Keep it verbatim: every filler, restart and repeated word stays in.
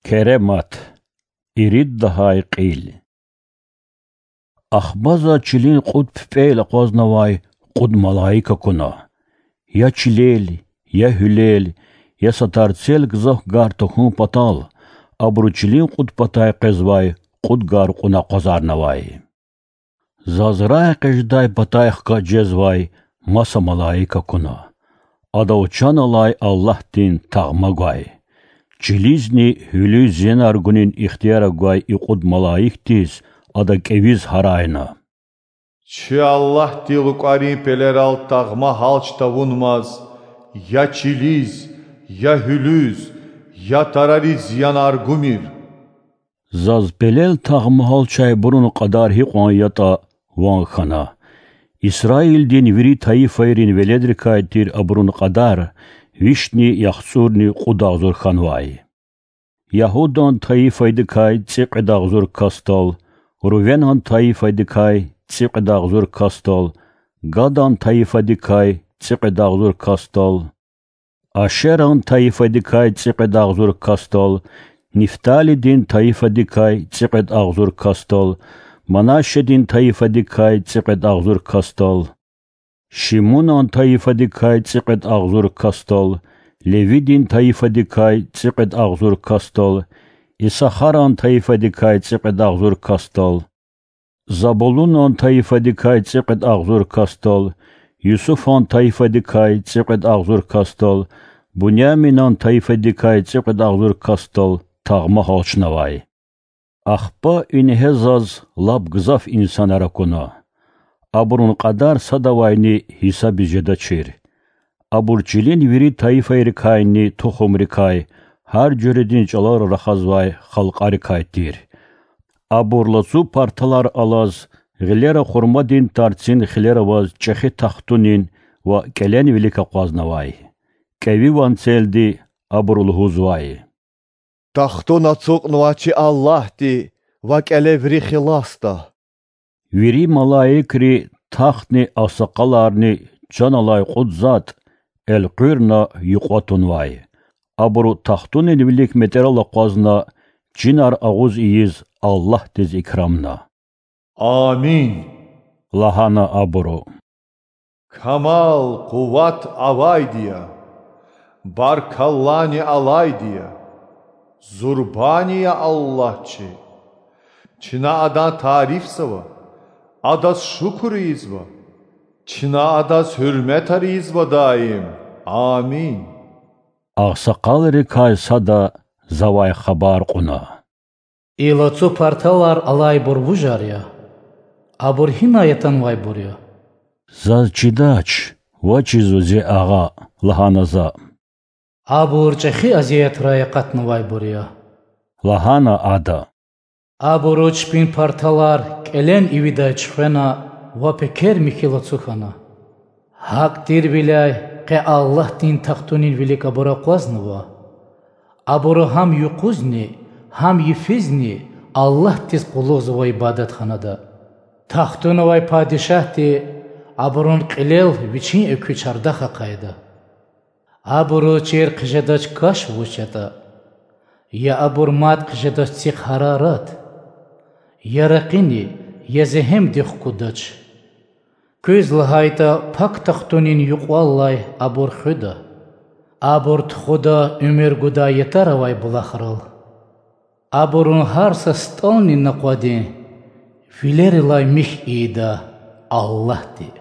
Керемат. Ирид лагьай кьил. Ахпа заз чилин кьуд пипӀел акъвазнавай кьуд малаик акуна. Я чилел, я гьуьлел, я са тарцел гзаф гар тахьун патал, абуру чилин кьуд патай къвезвай кьуд гар кьуна акъвазарнавай. Заз рагъэкъечӀдай патай хкаж жезвай маса малаик акуна. Адав чан алай Аллагьдин тагъма гвай. Чилизни гьуьлуьз зиянар гунин ихтияр гвай и кьуд малаикдиз ада кӀевиз гьарайна: Чи Аллагьди лукӀарин пелерал тагъма гьалч тавунмаз, я чилиз, я гьуьлуьз, я тарариз зиянар гумир. Заз пелел тагъма гьалчайбурун кьадар гьикьван ятӀа ван хьана. Исраилдин вири тайифайрин веледрикай тир абурун кьадар вишни яхцӀурни кьуд агъзур хьанвай. Ягьудан тайифайдикай цӀикьвед агъзур касдал, Рувенан тайифайдикай цӀикьвед агъзур касдал, Гадан тайифайдикай цӀикьвед агъзур касдал, Ашеран тайифайдикай цӀикьвед агъзур касдал, Нифталидин тайифайдикай цӀикьвед агъзур касдал, Манашедин тайифайдикай цӀикьвед агъзур касдал, Шимунан тайифайдикай цӀикьвед агъзур касдал, Левидин тайифайдикай цӀикьвед агъзур касдал, Исахаран тайифайдикай цӀикьвед агъзур касдал, Забулунан тайифайдикай цӀикьвед агъзур касдал, Юсуфан тайифайдикай цӀикьвед агъзур касдал, Буняминан тайифайдикай цӀикьвед агъзур касдал тагъма гьалчнавай. Ахпа ингье заз лап гзаф инсанар акуна. Абурун кьадар садавайни гьисабиз жедачир. Абур чилин вири тайифайрикайни тухумрикай, гьар жуьредин чӀалал рахазвай халкьарикай тир. Абур лацу парталар алаз, гъилера хурмадин тарцин хилер аваз чӀехи тахтунин ва кӀелен вилик акъвазнавай. КӀеви ванцелди абуру лугьузвай: Тахтун ацукьнавай чи Аллагьди ва кӀеле вири хиласда. Вири малаикри, тахтни, агъсакъаларни, чан алай кьуд затӀ элкъуьрна юкьва тунвай. Абуру тахтунин вилик метӀерал акъвазна, чинар агъуз ийиз Аллагьдиз икрамна. Амин, лагьана абуру. Камал, къуват авайди я, баркаллани алайди я, зурбани я Аллагь чи. Чна Адан тарифзава, Адаз шукур ийизва, чна Адаз гьуьрметар ийизва даим. Амин. Агъсакъалрикай сада завай хабар кьуна: И лацу парталар алайбур вужар я? Абур гьинай атанвайбур я? Заз чидач, вачизва зи агъа, лагьана за. Абур чӀехи азиятрай акъатнавайбур я, лагьана ада. Абуру чпин парталар кӀелен ивидай чуьхвена ва пекер михьи лацу хьана. ГьакӀ тирвиляй къе Аллагьдин тахтунин вилик абур акъвазнава. Абуру гьам юкъузни, гьам йифизни Аллагьдиз къуллугъзавай ибадатханада. Тахтуна авай падишагьди абурун кьилел вичин экуь чардах ахъайда. Абуру чир хъжедач каш вуч ятӀа, я абур мад хъжедач цихъ гьарарат, я ракъини, я зегьемди хкудач. Куьз лагьайтӀа, пак тахтунин юкьваллай абур хуьда. Абур тухуда уьмуьр гудай ятар авай булахрал. Абурун гьар са стӀални накъвадин вилерилай михь ийида Аллагьди.